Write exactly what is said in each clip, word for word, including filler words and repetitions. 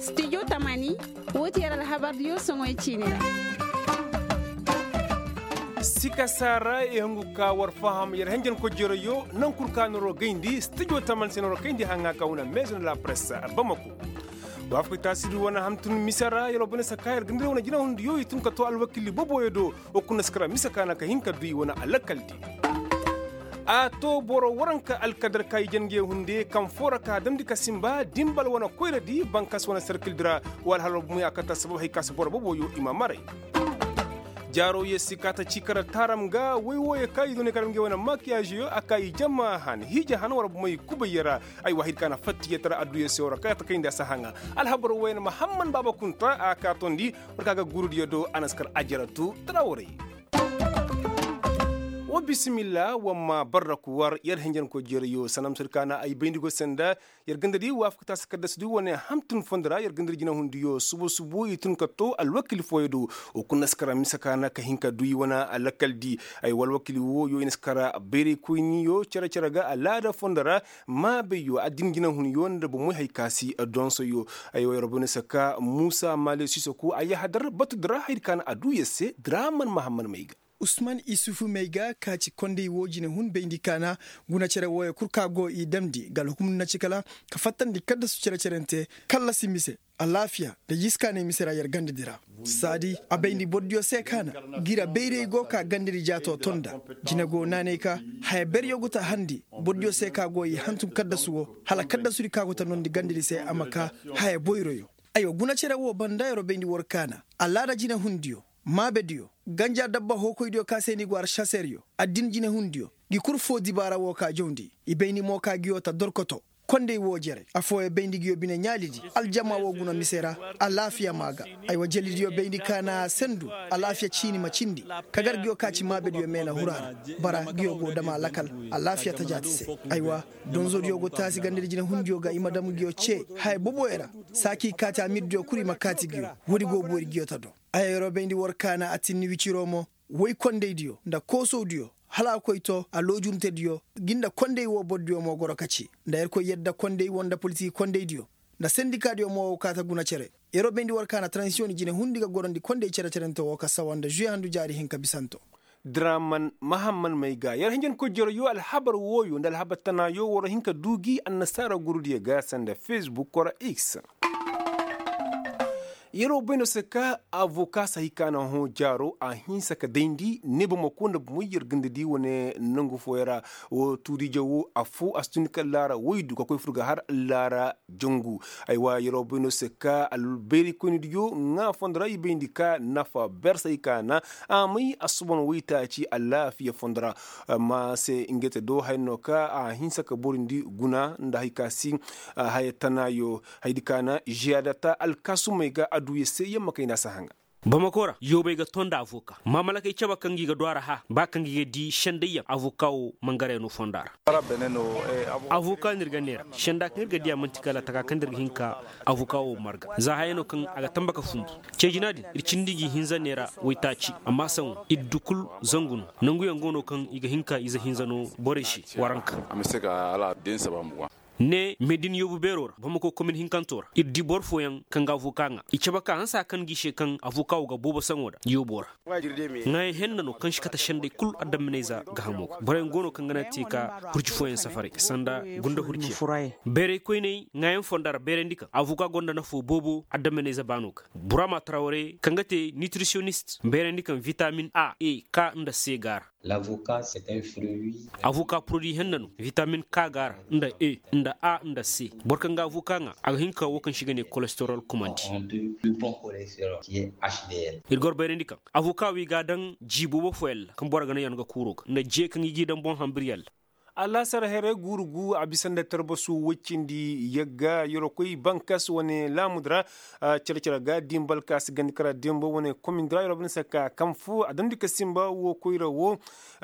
Stijo tamani, woo ti yer alhabardiyo soŋoy ciini ra. Sikasa ra i hungu ka war faham yer henjen kojerayo. Naŋ kul ka noro gayndi stijo tamani se noro kayndi haŋa ka wane maison de la presse bamako. Waafakay taasi du wane hamtun mise ra yer wo bane saka yer gandira wane jinahundiyo i tun ka to alwakili boboyo do. Wo kuna si kara mise ka na ka hin ka du i wane alakaldi. A to boro waranka alkadar ka i jange hunde kaŋ foo ra ka damndi ka simba dimbal wane koyradi bankas wane serkildi ra. Wa alhala bumey a kata sabab hay ka si boro boboyo i ma maray. Jaaro yee si kaata ci kara taaram ga woy wooyo ka i doonay ka dam ngey wane makiyažiyo a ka i jama han hiija han war bumey kubay yee ra. Ay wa hay di ka na fattiyee tara adduya se war kaata kayndi a si haŋa. Alhabar wooyo na mahamman baaba kunta a ka toondi. War ka ga gurudiyo do a na si kar ajaratu tara waray. Wa bisimilla wa ma barraku war yer hinjankoy jeerayo sanam sir ka na ay bayndi go senda. Yer ganda di waafaka taasi kaddasi di wane hamtun fondo ra yer ganda di jinahundiyo subu subu i tun ka to alwakil fooyo do. Wo kuna si kara mise ka na ka hin ka du i wane alakal di. Ay wa alwakil wooyo i na si kara bayraykoyniyo cere cere ga alaada fondo ra. Maabayyo addin jinahunyo nda bomoy hay ka si donsoyo. Ay wa yer boyno si ka muusa maale sisoku a yahadar batu dira hay di ka na a du yer se dira man mahamman may ga. Usman isufu may ga ka ci konday woo jinahun bayndi ka na guna cere wooyo kul ka go i damndi ga alhukumdu na ci kala ka fattandi kaddasu cere cerante kallasi mise alaafiya nda jiskaanay mise ra yer ganda di ra. Saadi a bayndi bordiyo se ka na gira bayray go ka ganda di jaato to nda jine go naanay ka haya beryo go ta handi bordiyo se ka go i hantum kaddasu woo hala kaddasu di ka go ta noondi ganda di se a ma ka haya boyroyo. Aywa guna cere woo banda yeroo bayndi war ka na alaada jinahundiyo maabediyo ganja dabba hookoydiyo ka se ni go aršaseryo addin jinahundiyo ngi kul foo dibaara woo ka jawndi i bayndi mo ka ngiyo ta dorkoto. Konday woo jere affooyo bayndi ngiyo bine ɲaalidi aljama woo guna mise ra. Alaafiya maa ga. Aywa jelidiyo bayndi ka na sendu alaafiya ciini ma cindi kagar ngiyo ka ci maabediyo meena hura ra bara ngiyo go dama lakal alaafiya tajaati se. Aywa donzodiyo go taasi gandadi jinahundiyo ga i ma dam ngiyo cee haya boboyo ra. Saaki kaati amirdiyo kul i ma kaati ngiyo woodi go boori ngiyo ta do. Aya yeroo bayndi war ka na a tinni wiciroo mo woy kondaydiyo nda koosowdiyo hala a koy to aloojuntediyo ngi nda konday woo bordiyo mo goro ka ci nda yerkoy yadda konday woo nda politik kondaydiyo nda sendikaadiyo mo woo kaa ta guna cere. Yeroo bayndi war ka na taransiyoŋ jinahun di ga gorondi konday cere-cerente woo ka sawa nda žuwe handu jaari hinka bisanto. Draman mahamman may ga yer hinjankoy jeroyo alhabar wooyo nda alhabar tanaayo war hin ka duu gi annasaara gurudiyo ga sanda fesbuk wara x. Yeroo bayno se ka avoka si hay ka na hõ jaaro a hinsa ka dayndi ne bamako nda bomoy yer ganda di wane nangu fooyo ra. Woo tuuriije woo affoo a si tun ka laara woy du ka koy fur ga har laara jangu. Aywa yeroo bayno se ka albayraykoynidiyo ŋaa fondo ra i bayndi ka nafa ber si hay ka na a may assuban waytaaci alaafiya fondo ra. Amma se ngey te do haya no ka a hinsa ka borindi guna nda hay ka si haya tanaayo. Hayadi ka na žiyadata alkaasumey ga adduya se yamma kayna si haŋa. Bamako ra yoobey ga to nda avoka maamalakey cabe kaŋ gi ga du a ra hã ba kaŋ gi ga di sendayyaŋ avoka wo mangarayano fonda ra. Avoka no ir ga neera senda kaŋ ir ga diya man'ti kala taka kaŋ da ir ga hin ka avoka wo marga za haya no kaŋ a ga tamba ka fundu. Cee jina din ir cindi gi hinza neera waytaaci amma saŋo ir du kul zangu no. Nanguyaŋ go no kaŋ i ga hin ka ize hinza no borey se waranka. Ne meedin yoobu beeroo ra bamako komin hinkanto ra ir di boro fooyaŋ kaŋ ga avoka ŋaa i cabe ka hansa kaŋ gi se kaŋ avoka wo ga boobo saŋo da yooboo ra. Ŋaayaŋ henna no kaŋ si kate sendey kul adamminayza gahamo ga boroyaŋ go no kaŋ ga na te ka hurci fooyaŋ safaray sanda gunda hurciyaŋ. Bayraykoyney ŋaayaŋ fonda ra bayrandi kaŋ avoka gonda nafoo boobo adamminayza baano ga. Burama tarawre kaŋ ga te nitriciyonist bayrandi kaŋ vitamin a e ka nda se ga a ra. Avoka purodi henna no vitamin ka ga a ra nda e nda a nda se. Boro kaŋ ga avoka ŋaa a ga hin ka woo kaŋ se i ga ne kolesterol kumandi. Ir goro bayrandi kaŋ avoka wo i ga a daŋ jii boobo fooyaŋ ra kaŋ boro ga naŋ yano ga kuuroo ga nda jee kaŋ i g'i daŋ boŋ hambiryaŋ ra. Alaasar heray guuru gu a bisa nda tarbasu woy cindi yagga yeroo koy bankas wane laamudi ra. Cere cere ga dimbal ka si gandi kara dimba wane komindi ra yeroo bane se ka kaŋ foo a damndi ka simba woo koyra woo.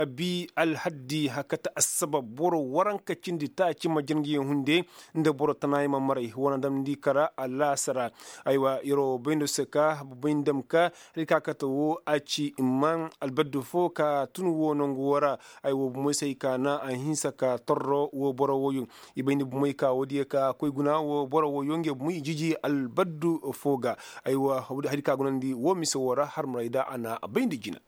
Bi alhaddi hakata assabab boro waranka cindi taaci ma jir ngi yaŋ hunde nda boro tanaayaŋ ma maray wane damndi kara alaasara. Aywa yeroo bayndo se ka babayndam ka hari ka kate woo a ci imma albaddu foo ka tun woo nangu woo ra. Aywa bomoy se hay ka na a hinsa. Ka torro wo boro woyo i bay ni bumey ka wo diya ka koy guna wo boro woyo nge bumey i jiji albaddu fo ga. Aywa hari ka gunandi wo mise wo ra har maray da a na bay nda jina.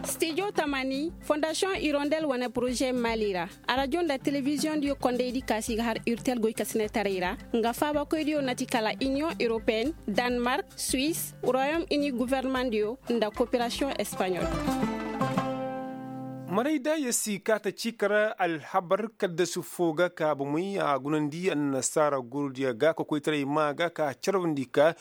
Stijo tamani fondasiyoŋ irondel wane poroze mali ra. Arajo nda telebiziyoŋ diyo kondey di kaasi ga har irtel goy kasinetaray ra nga faabakoy diyo nati kala iniyoŋ europeen, danmark, suis, royom ini governemandiyo nda koperasiyoŋ espaɲol. Maray da ya si ka ta ci kara alhabar kaddasu fo ga ka bomey a gunandi annasaara gurudiya ga ka koytaray maa ga ka carwandi ka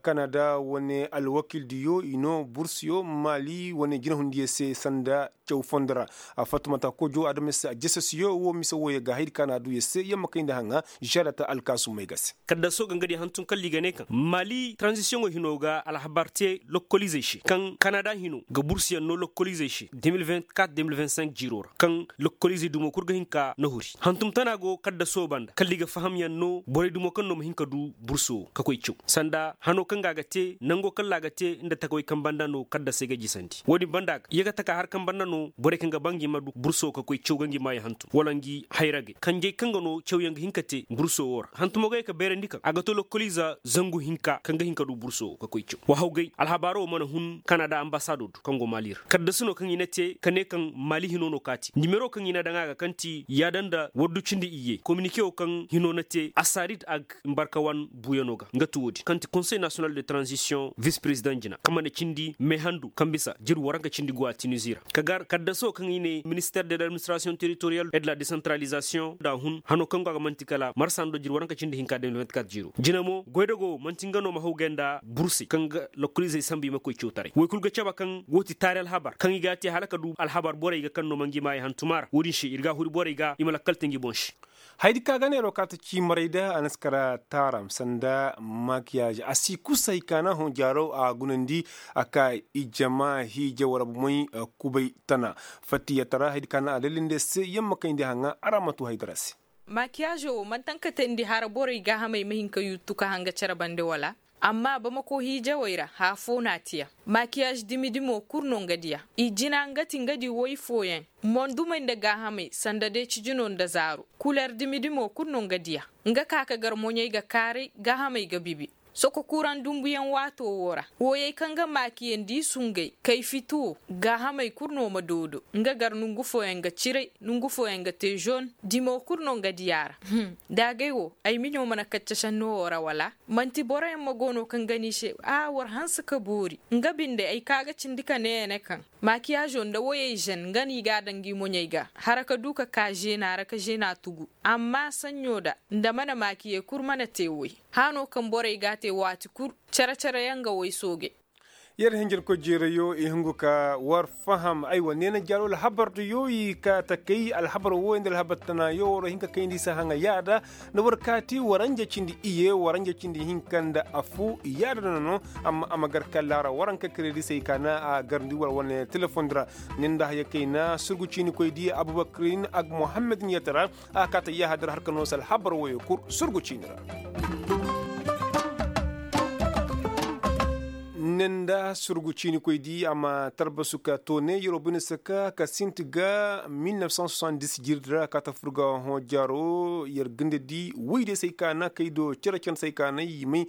kanada wane alwakildiyo i no bursiyo mali wane jinahundiya se sanda caw fondo ra. Fattumata kojo adama se a jesesiyo wo mise wooyo ga haydi ka na a du ya se yamma kayndi haŋa. Žarata alkaasumey ga se. Kaddaso ga nga di hantum kalli ga ne kaŋ mali tranzisiyoŋo hino ga alhabar te lokkolizey se kaŋ kanada hino ga bursiyaŋ no lokkolizey se de mil vingt-quatre de mil vingt-cinq jiiro ra kaŋ lokkolizey dumo kul ga hin ka nahuri hantum tana go kaddaso banda kalli ga fahamyaŋ no borey dumo kaŋ no ma hin ka du burso ka koy caw sanda hano kaŋ ga a ga te nango kalla a ga te nda takawey kaŋ banda no kaddasey ga jisandi wo- din banda ga ye ga taka har kaŋ banda no borey kaŋ ga ba ngi ma du burso ka koy caw ga ngi maayo hantum wala ngi hayragey kanjey kaŋ ga no cawyaŋ ga hin ka te burso wo ra hantumo ga ye ka beerandi kaŋ a ga to lokkoliiza zangu hinka kaŋ ga hin ka du burso ka koy caw wahaw gay alhabaaro wo mana hun kanada ambasado do kaŋ go maali ra kaddasi no kaŋ i na te ka ne kaŋ maali hino no kaati nimero kaŋ i na daŋ a ga kaŋ ti yaada nda waddu cindi iyye kominike wo kaŋ hino na te asarit ag mbarka wan buuyano ga nga ti wo- din kaŋ ti konsey nasiyonal de tranzisiyoŋ vis prezidaŋ jina kaŋ mana cindi meehandu kaŋ bisa jir waranka cindi go a tinizi ra ka gar kaddasi wo kaŋ i ne minister de ladministirasiyoŋ teritoriyal et de la desantaralizasiyoŋ nda a hun hano kaŋ go a ga man'ti kala marsa nda jir waranka cindi hinka de mil vingt-quatre jiiro jina mo goydago man'ti nga no ma haw gay nda bursey kaŋ ga lokoliizey sambu i ma koy cawtaray woy kulu ga cabe kaŋ wo ti taari alhabar kaŋ i ga a te hala ka du alhabar borey ga kaŋ no ma ngi maayey hantumaa ra wo- din se ir ga a huri borey ga i ma lakkal te ngi boŋ se. Hayadi ka ga neeroo ka ta ciimarey da a na si kara taaram sanda makiyaaz a si kusa hay ka na hõ jaaroo a gunandi a ka ijama hiija war bomey kubay tana fattiyatara hayadi ka na a dalilindi se yamma kayndi haŋa a ra ma tuu haydara se. Makiyaazoo wo man'ti haŋ ka teendi hara borey gaahamey ma hin ka yuttu ka haŋ ga cere bande wala amma bamako hiijawey ra haya foo na a tiya. Makiyaaz dimi-dimo kul no nga diya i jina nga ti nga di woy fooyaŋ mondumey nda gaahamey sanda deeci jino nda zaaru kuler dimi-dimo kul no nga diya nga ka ka gar moɲey ga kaaray gaahamey ga bibi soko kuraŋ dumbuyaŋ waatoo woo ra wooyey kaŋ ga maakiyandi i sungay kay fiti woo gaahamey kul no ma doodo nga gar nongu fooyaŋ ga ciray nongu fooyaŋ ga te žon dimo kul no nga diya a ra. Daagay woo ay miɲo mana kacce šennoo woo ra wala man'ti boroyaŋ ma go no kaŋ ga n'i se a war hanse ka boori nga binde ay ka ga cindi ka nee ya ne kaŋ makiyaazoo nda woyey žen nga no i g'a daŋ ngi moɲey ga hara ka du ka ka žeenaa ra ka žeenaa tugu amma saɲɲo da nda mana maakiyey kul mana te woy hano kaŋ borey g'a te waati kul cere-cere yaŋ ga woy soogey. Yer hinjirkoy jeerayoo i hungu ka war faham aywa neena jaaroo alhabar da yoo i ka ta kay alhabar wooyo nda alhabar tana yoo war hin ka kayndi se haŋa yaada nda war kaati waranja cindi iye waranja cindi hinka nda afuu yaada nono. Amma a ma gar kalla ra waranka kiredisey ka na a garndi war wane telefondi ra nin nda haya kayna surgu ciinikoy di abubakrin ak muhammadin yatara a kaata yahadar har ka noo se alhabar woyo kul surgu ciini ra. Nin nda surgu ciinikoy di a ma tarbasu ka toone yeroo bine saka ka sinti ga mil nef san soixante dix jirdi ra a kaata fur ga hõ jaaro yer ganda di woy day se ay kaana kay do cere-cere se ay kaana i may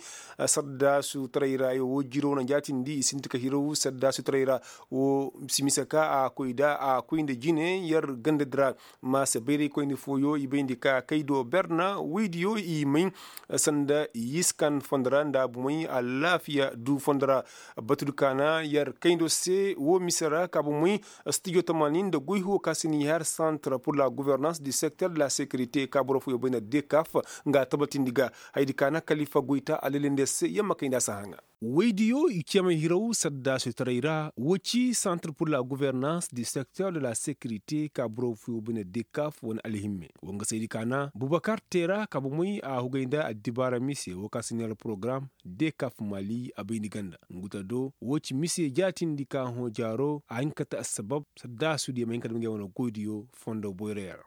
saddaasu taray ra ay wo jiiroo na jaatindi i sinti ka hiraw saddaasu taray ra. Wo simisa ka a koy da a koy nda jine yer ganda di ra. Ma se bayraykoyni fooyo i bayndi ka kay do berna woydiyo i may sanda yiskan fondo ra nda bumey alaafiya du fondo ra. Batu di kaana yer kayndo se wo mise ra ka bumey studio tamanin nda goy huwo ka si ni har centre pour la gouvernance du secteur de la sécurité ka boro fooyo bay nda dekaf nga tabatindi ga. Hayadi kaana kalifa goyta a lelende se yamma kayndi a si haŋa. Woydiyo i cemay hiraw saddaasu taray ra wo ci centre pour la gouvernance du secteur de la sécurité ka boro fooyo bay nda dekaf wane alhimme wo nga saydi kaana bubakar teera ka bumey a hugay nda addibaara mise wo ka si ni har porogaram. Dekaf mali a bay ni ganda ngu. Tado wo ci mise jaatindi ka hõ jaaro a hin ka te assabab saddaasudiyo ma hin ka dam ngey wane goydiyo fondo boyray ra.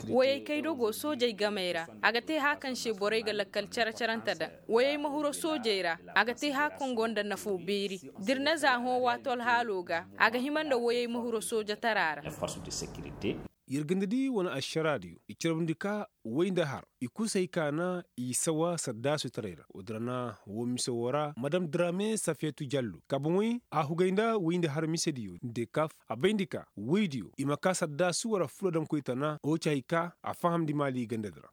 Woyey kay dogo soojey gamey ra a ga te hã kaŋ se borey ga lakkal care-carante daŋ. Woyey ma huro soojey ra a ga te hã kaŋ go nda nafo beeri. Da ir na za hõ waato alhaalo ga a ga hima nda woyey ma huro soojatara ra. Yer ganda di wane ašaraadiyo i carbundi ka way nda har i kul se hay ka na i sawa saddaasutaray ra. Woodin ra na wo mise wo ra madam drame safeetu jallo ka boŋey a hugay nda way nda har misediyo nda kaf. A bayndi ka woydiyo i ma ka saddaasu wala fuladamkoy tana wo ci hay ka a fahamndi maali ganda di ra.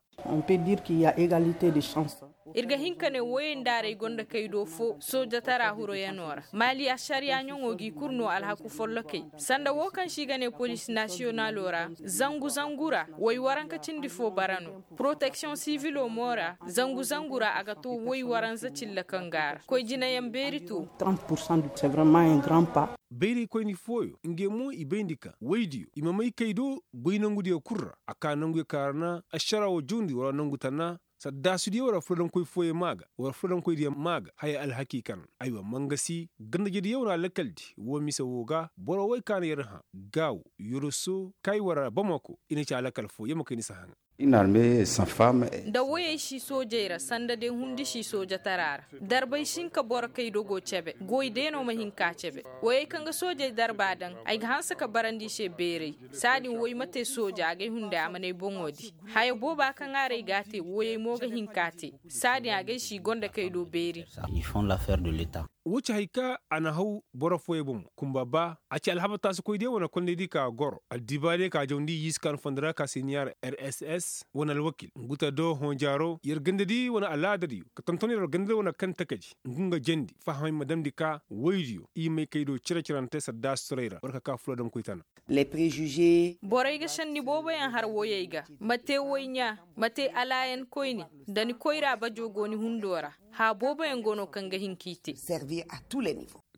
Ir ga hin ka ne woyey ndaaray gonda kaydo fo soojatara huroyanoo ra maali ašariya ɲaŋo g'i kul no alhaku follokey. Sanda wo kaŋ se i ga ne polis nasiyonalo ra zangu zangu ra woy waranka cindi fo bara no. Poroteksiyoŋ sivilo mo ra zangu zangu ra a ga to woy waranza cilla kaŋ ga a ra koy jinayaŋ beeri to. Bayraykoyni fooyo ngey mo i bayndi ka woydiyo i ma may kay do goy nangudiyo kul ra a ka nanguyo kaŋ ra na ašara wo jundi wala nangu tana. Saddaasudiyo wala fuladamkoy fooyo ma ga wala fuladamkoydiyo ma ga haya alhaki kaŋ aywa mangasi gandajediyo wala lakaldi wo mise wo ga boro way ka na yer hã gaawo yoroso kay wala bamako i na ci a lakal fo yer ma kay ni si haŋa. Nda woyey si soojey ra sanda day hundi si soojatara ra. Darbay si hin ka boro kay dogo cebe goy day no ma hin ka cebe. Woyey kaŋ ga soojey darba daŋ ay ga hanse ka barandi i se beeray. Saadin woy ma te sooja agay hunday a manay boŋo di haya booba kaŋ a ra ay ga a te woyey mo ga hin ka te. Saadin agay si gonda kay do beeri. Wo ci hay ka a na haw boro fooyey boŋ mo kunba ba a ci alhaba taasikoydiyo wane kondaydi ka goro addibaadiyo ka jawndi yiskan fondo ra ka se niya ra rss wane alwakil ngu ta do hõ jaaro yer gandadi wane alaadadiyo ka tonton yer gandadi wane kaŋ takaji ngu nga jandi fahamay ma damndi ka woydiyo i may kay do cire-cirante saddaasutaray ra war ka ka fuladamkoy tana. Borey ga senni booboyaŋ har woyey ga, ma te woy ɲaa, ma te alaayan koyne, nda ni koyra bajo go ni hundo ra. Hã booboyaŋ go no kaŋ ga hin k'i te.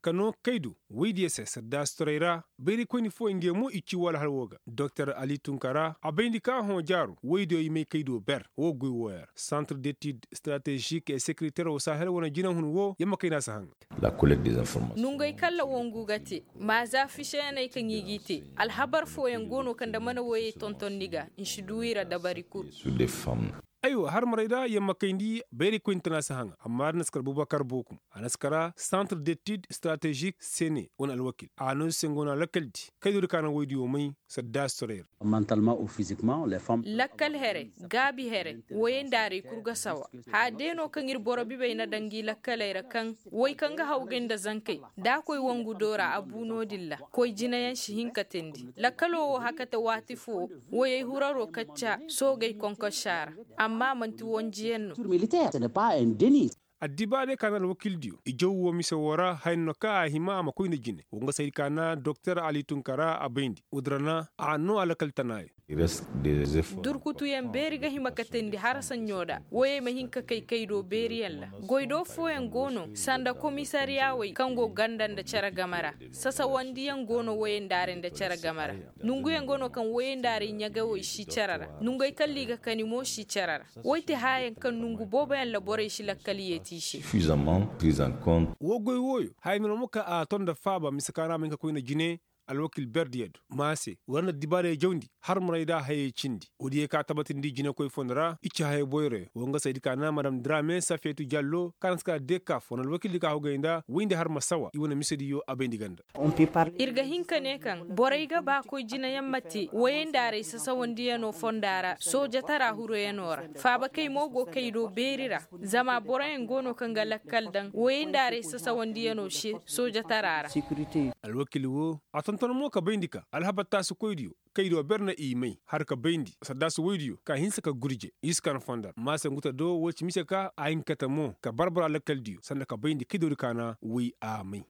Ka no kay do woydiyo se saddaasutaray ra. Bayraykoyni fooyaŋ ngey mo i ci wala har wo ga doktor ali tunkara a bayndi ka hõ jaaro woydiyo i may kay do ber wo goy wooyaŋ ra santre detid stratezik e sekiriter wo sahel wane jinahun wo yer ma kay no a si haŋa. Nongey kaŋ ra wongu ga te, maaza fiseyaney kaŋ i g'i te. Alhabar fooyaŋ go no kaŋ nda mana woyey tonton ni ga nsi du i ra dabari kul. Aywa harmarey ra yer ma kayndi bayraykoyni tana si haŋa amma ra na si kar bubakar bookum a na si kara santre detid stratezik sene wane alwakil a no se ngo no a lakaldi kay do di ka na woydiyo may. Saddaasitoray ra. Lakkal here, gaabi here, woyey nda arey kul ga sawa. Haya day no kaŋ ir boro bibey na daŋ ngi lakkaley ra kaŋ woy kaŋ ga hawgay nda zankey, da a koy wangu do ra a bu no-din ra. Koy jinayaŋ si hin ka teendi lakkalo wo hakate waati foo. Woyey huraro kacca soogey konkossa ra. Amma man'ti wanjiyaŋ no. Addibaarey ka na alwakildiyo i jaw woo mise woo ra haya no kaŋ a hima a ma koy nda jine woo nga saydi ka na doktor ali tunkara a bayndi woo din ra na a noo alakal tanaayo. Durkutuyaŋ beeri ga hima ka teendi harasaɲɲo nda woyey ma hin ka kay kaydo beeriyaŋ ra. Goydoo fooyaŋ go no sanda komisariyaawey kaŋ go ganda nda cere game ra. Sasawandiyaŋ go no woyey nda arey nda cere game ra. Nonguyaŋ go no kaŋ woyey nda arey ɲagawey si cere ra. Nongey kaŋ ra i ga kani mo si cere ra. Woy ti haayaŋ kaŋ nongu booboyaŋ ra borey si lakkal yeeti i se. Woo goy wooyo haya no mo kaŋ a ton nda faaba mise kaŋ ra a ma hin ka koy nda jine. Alwakil berdiyo do ma se war na dibaarey jawndi har maray nda hayey cindi woodiyo kaŋ a tabatindi jinekoy fondo ra i ci hayey boyroyo woo nga saydi ka na madam drame safeetu jallo kaŋ a na si ka dekaf wane alwakildi kaŋ a hogay nda woy nda har ma sawa i wane misediyo a bayndi ganda. Ir ga hin ka ne kaŋ borey ga ba koy jinayaŋ ma te woyey nda arey sasawandiyanoo fonda ra soojatara huroyanoo ra. Faabakey mo go kaydo beeri ra. Zama boroyaŋ go no kaŋ ga lakkal daŋ woyey nda arey sasawandiyanoo se soojatara ra. Alwakil woo a tonton mo ka bayndi ka alhabar taasikoydiyo kaydo ber na i may har ka bayndi saddaasi woydiyo ka hinsa ka gurje i si kan fondar maase ngu ta do woo ci mise ka a hin ka te mo ka barbara lakaldiyo sanda ka bayndi kaydo di ka na woy a may.